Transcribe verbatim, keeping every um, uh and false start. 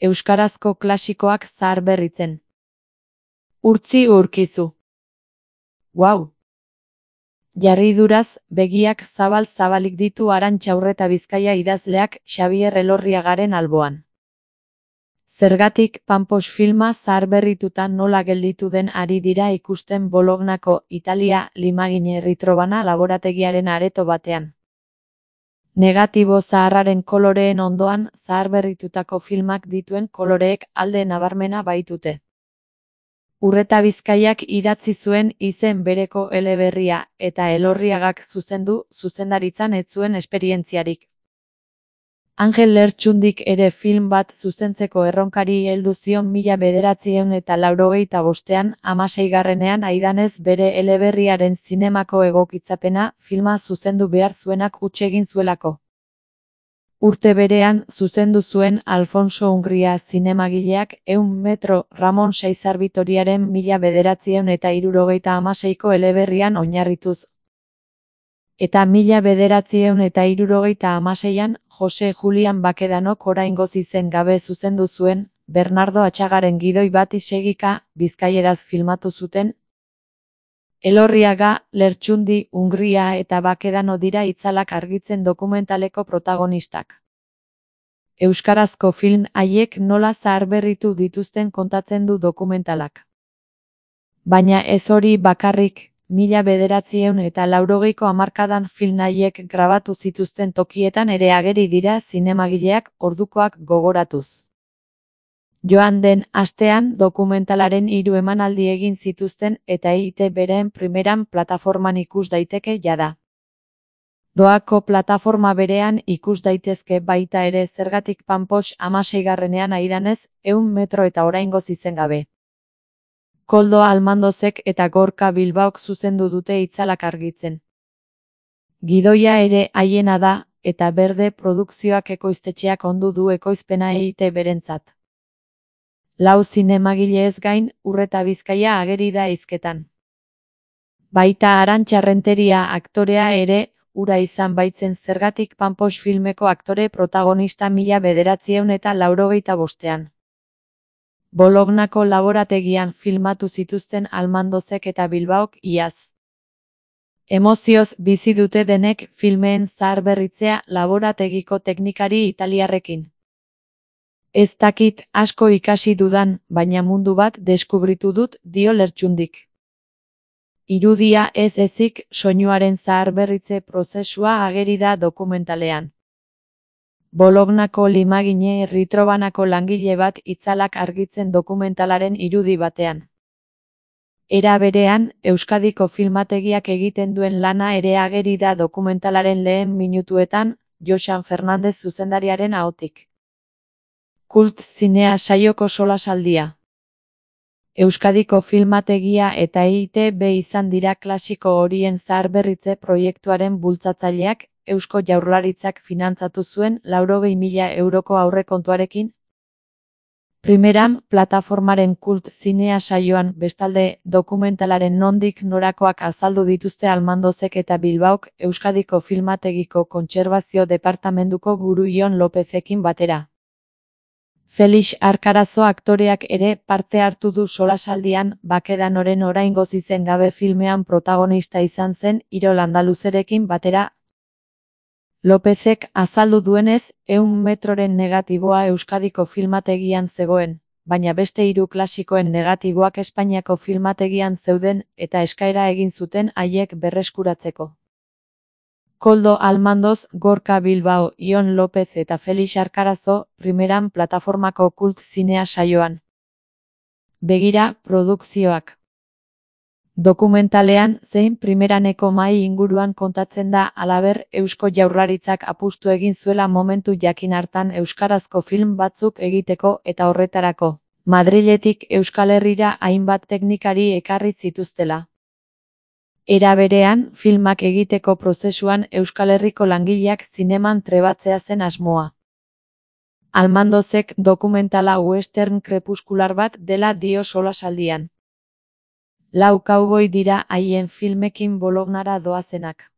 euskarazko klasikoak zaharberritzen. Urtzi Urkizu. Wow! Jarriduraz, begiak zabal-zabalik ditu Arantxa Urreta Bizkaia idazleak Xabier Elorriagaren alboan. Zergatik Pampos filma zaharberrituta nola gelditu den ari dira ikusten Bolognako Italia Limagine Ritrobana laborategiaren areto batean. Negatibo zaharraren koloreen ondoan zaharberritutako filmak dituen koloreek alde nabarmena baitute. Urreta Bizkaiak idatzi zuen izen bereko eleberria eta Elorriagak zuzendu zuzendaritzan ez zuen esperientziarik. Angel Lertxundik ere film bat zuzentzeko erronkari heldu zion mila bederatziehun eta laurogeita bostean hamaseigarrenean aidanez bere eleberriaren zinemako egokitzapena filma zuzendu behar zuenak huts egin zuelako. Urte berean zuzendu zuen Alfonso Ungria zinemagileak ehun metro Ramon Saizar Bitoriaren mila bederatziehun eta hirurogeita hamaseiko eleberrian oinarrituz. Eta mila bederatziehun eta hirurogeita hamaseian Jose Julian Bakedanok oraingoz izen gabe zuzendu zuen Bernardo Atxagaren gidoi bati segika bizkaieraz filmatu zuten. Elorriaga, Lertxundi, Ungria eta Bakedano dira itzalak argitzen dokumentaleko protagonistak. Euskarazko film haiek nola zaharberritu dituzten kontatzen du dokumentalak. Baina ez hori bakarrik, mila bederatziehun eta laurogeiko hamarkadan film haiek grabatu zituzten tokietan ere ageri dira zinemagileak ordukoak gogoratuz. Joan den astean dokumentalaren hiru emanaldi egin zituzten eta E I Te Beren primeran plataforman ikus daiteke jada. Doako plataforma berean ikus daitezke baita ere Zergatik Pampos hamaseigarrenean aidanez ehun metro eta oraingoz izen gabe. Koldo Almandozek eta Gorka Bilbaok zuzendu dute itzalak argitzen. Gidoia ere haiena da eta Berde Produkzioak ekoiztetxeak ondu du ekoizpena E I Te Berentzat. Lau zinemagilez gain, Urreta Bizkaia ageri da hizketan. Baita Arantxa Renteria aktorea ere, ura izan baitzen Zergatik Pampos filmeko aktore protagonista mila bederatziehun eta laurogeita bostean. Bolognako laborategian filmatu zituzten Almandozek eta Bilbaok iaz. Emozioz bizi dute denek filmeen zaharberritzea laborategiko teknikari italiarrekin. Ez dakit asko ikasi dudan, baina mundu bat deskubritu dut, dio Lertxundik. Irudia ez ezik soinuaren zaharberritze prozesua ageri da dokumentalean. Bolognako Limagine Ritrobanako langile bat itzalak argitzen dokumentalaren irudi batean. Era berean, Euskadiko filmategiak egiten duen lana ere ageri da dokumentalaren lehen minutuetan, Joxan Fernandez zuzendariaren ahotik. Kult zinea saioko solasaldia. Euskadiko filmategia eta E I Te Be izan dira klasiko horien zaharberritze proiektuaren bultzatzaileak, Eusko Jaurlaritzak finantzatu zuen laurogei mila euroko aurrekontuarekin. Primeran, plataformaren kult zinea saioan bestalde dokumentalaren nondik norakoak azaldu dituzte Almandozek eta Bilbaok Euskadiko filmategiko kontserbazio departamentuko buru Ion Lopezekin batera. Felix Arkarazo aktoreak ere parte hartu du solasaldian Bakedanoren oraingoz izen gabe filmean protagonista izan zen Irol Andaluzerekin batera. Lopezek azaldu duenez, ehun metroren negatiboa Euskadiko filmategian zegoen, baina beste hiru klasikoen negatiboak Espainiako filmategian zeuden eta eskaera egin zuten haiek berreskuratzeko. Koldo Almandoz, Gorka Bilbao, Ion Lopez eta Felix Arkarazo, primeran plataformako kult zinea saioan. Begira, produkzioak. Dokumentalean, zein primeraneko mahai inguruan kontatzen da halaber Eusko Jaurlaritzak apustu egin zuela momentu jakin hartan euskarazko film batzuk egiteko eta horretarako, Madriletik Euskal Herrira hainbat teknikari ekarri zituztela. Era berean, filmak egiteko prozesuan Euskal Herriko langileak zineman trebatzea zen asmoa. Almandozek dokumentala western krepuskular bat dela dio solasaldian. Lau kauboi dira haien filmekin Bolognara doazenak.